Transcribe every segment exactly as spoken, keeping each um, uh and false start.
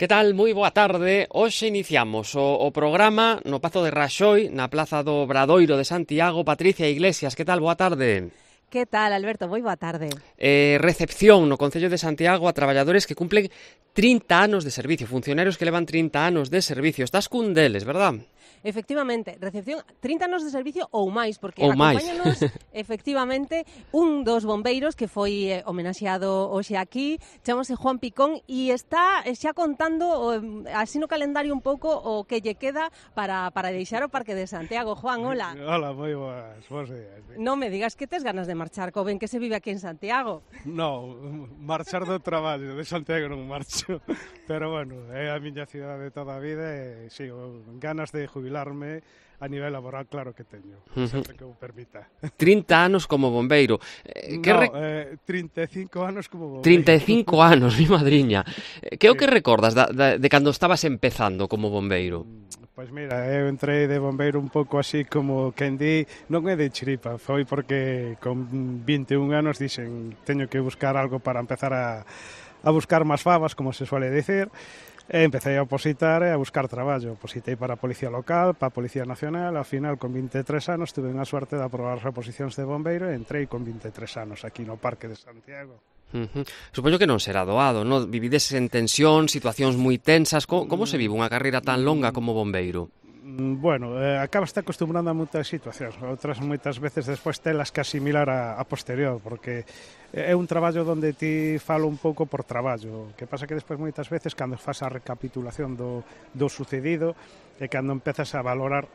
Que tal? Moi boa tarde. Hoxe iniciamos o, o programa no Pazo de Raxoi, na Plaza do Obradoiro de Santiago. Patricia Iglesias, que tal? Boa tarde. Que tal, Alberto? Moi boa tarde. Eh, recepción no Concello de Santiago a traballadores que cumplen trinta anos de servicio, funcionarios que levan trinta anos de servicio. Estás cun deles, verdad? Efectivamente, recepción trinta anos de servicio ou máis, porque ou acompáñanos efectivamente un dos bombeiros que foi eh, homenaxeado hoxe aquí, chamase Juan Picón e está xa contando eh, así no calendario un pouco o que lle queda para, para deixar o Parque de Santiago. Juan, hola. Hola, moi boas, bons días. Non me digas que tes ganas de marchar, co ben que se vive aquí en Santiago. No, marchar do traballo, de Santiago non marcho, pero bueno, é a miña cidade de toda a vida e sigo ganas de jubilarme a nivel laboral, claro que teño, uh-huh. sempre que o permita. trinta anos como bombeiro. Eh, que no, re... eh, trinta e cinco anos como bombeiro. trinta e cinco anos, mi madriña. Que é o que recordas da, da, de cando estabas empezando como bombeiro? Pois mira, eu entrei de bombeiro un pouco así como quen di, non é de chiripa, foi porque con vinte e un anos dixen teño que buscar algo para empezar a, a buscar máis favas, como se suele dicir. E empecé a opositar e a buscar traballo. Opositei para a Policía Local, para a Policía Nacional. Ao final, con vinte e tres anos, tuve unha suerte de aprobar as reposicións de bombeiro e entrei con vinte e tres anos aquí no Parque de Santiago. Uh-huh. Supoño que non será doado, non? Vivides en tensión, situacións moi tensas. Como, como se vive unha carreira tan longa como bombeiro? Bueno, eh, acabas te acostumbrando a moitas situacións, outras moitas veces despois telas que asimilar a, a posterior, porque é un traballo onde ti falo un pouco por traballo, que pasa que despois moitas veces cando faz a recapitulación do, do sucedido e cando empezas a valorar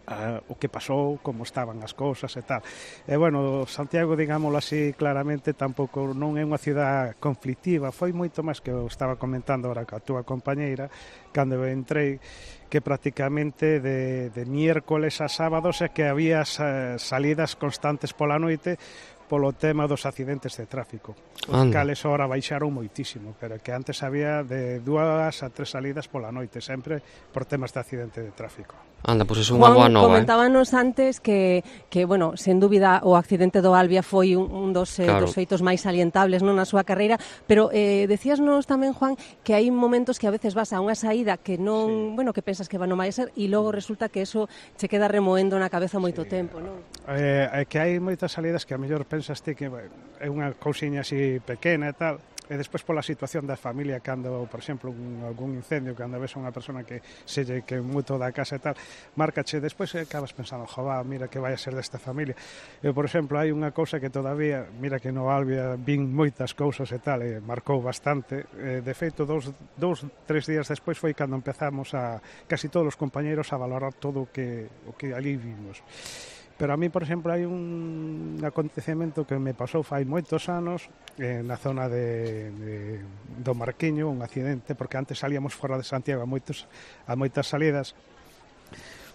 Uh, o que pasou, como estaban as cousas e tal. E bueno, Santiago, digámoslo así claramente, tampouco non é unha cidade conflictiva, foi moito máis que eu estaba comentando ahora ca túa compañeira cando eu entrei, que prácticamente de, de miércoles a sábados é que había salidas constantes pola noite polo tema dos accidentes de tráfico. Os cales ahora baixaron moitísimo, pero que antes había de dúas a tres salidas pola noite, sempre por temas de accidente de tráfico. Anda, pois pues é unha boa nova. Juan, comentábanos eh? antes que, que, bueno, sen dúbida o accidente do Albia foi un, un dos, eh, claro. dos feitos máis salientables non na súa carreira, pero eh, decíasnos tamén, Juan, que hai momentos que a veces vas a unha saída que non, sí. bueno, que pensas que va non vai ser e logo resulta que eso che queda remoendo na cabeza moito sí. tempo, non? Eh, é que hai moitas salidas que a mellor pensas ti que bueno, é unha cousiña así pequena e tal, e despois pola situación da familia cando, por exemplo, un, algún incendio, cando ves a unha persona que se lle que moito da casa e tal, márcache, despois acabas pensando, jová, mira que vai a ser desta familia. Eu, por exemplo, hai unha cousa que todavía, mira que no Albia vin moitas cousas e tal, e marcou bastante, e, de feito, dous, dous, tres días despois foi cando empezamos a, casi todos os compañeros a valorar todo o que, o que ali vimos. Pero a mí, por exemplo, hai un acontecemento que me pasou fai moitos anos eh, na zona de, de, do Marquiño, un accidente, porque antes salíamos fora de Santiago a, moitos, a moitas salidas,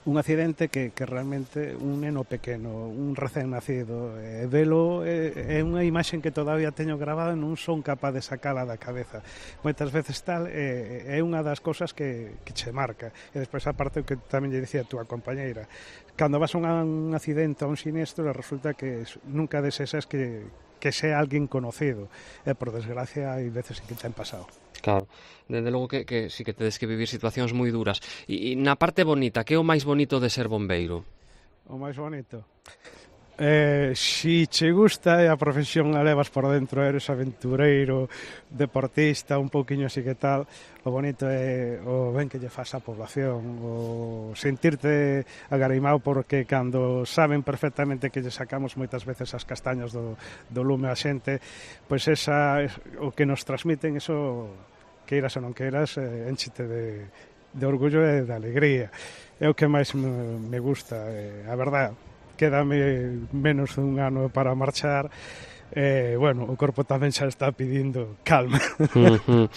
un accidente que, que realmente un neno pequeno, un recén nacido, e velo é, é unha imaxe que todavía teño grabada e non son capaz de sacala da cabeza. Moitas veces tal, é, é unha das cousas que, que che marca. E despois a parte que tamén lle dicía a túa compañeira, cando vas a un accidente, a un sinistro, resulta que nunca desexas que, que sea alguén conocido. E por desgracia hai veces que te han pasado. Claro, desde logo que, que sí que tedes que vivir situacións moi duras. E, e na parte bonita, que é o máis bonito de ser bombeiro? O máis bonito? Eh, si che gusta e a profesión a levas por dentro, eres aventureiro, deportista, un pouquiño así que tal, o bonito é o ben que lle faz a población, o sentirte agarimado porque cando saben perfectamente que lle sacamos moitas veces as castañas do, do lume a xente, pois esa, o que nos transmiten, eso, queiras ou non queiras, eh, enchete de, de orgullo e de alegría. É o que máis me, me gusta, eh, a verdade. Quédame menos dun ano para marchar. Eh, bueno, o corpo tamén xa está pedindo calma. Uh-huh.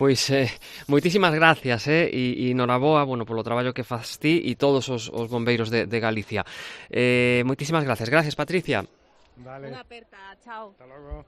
Pois eh, moitísimas gracias eh, e, e noraboa, bueno, polo traballo que faz ti e todos os, os bombeiros de, de Galicia. Eh, moitísimas gracias. Gracias, Patricia. Vale. Unha aperta, chao. Hasta logo.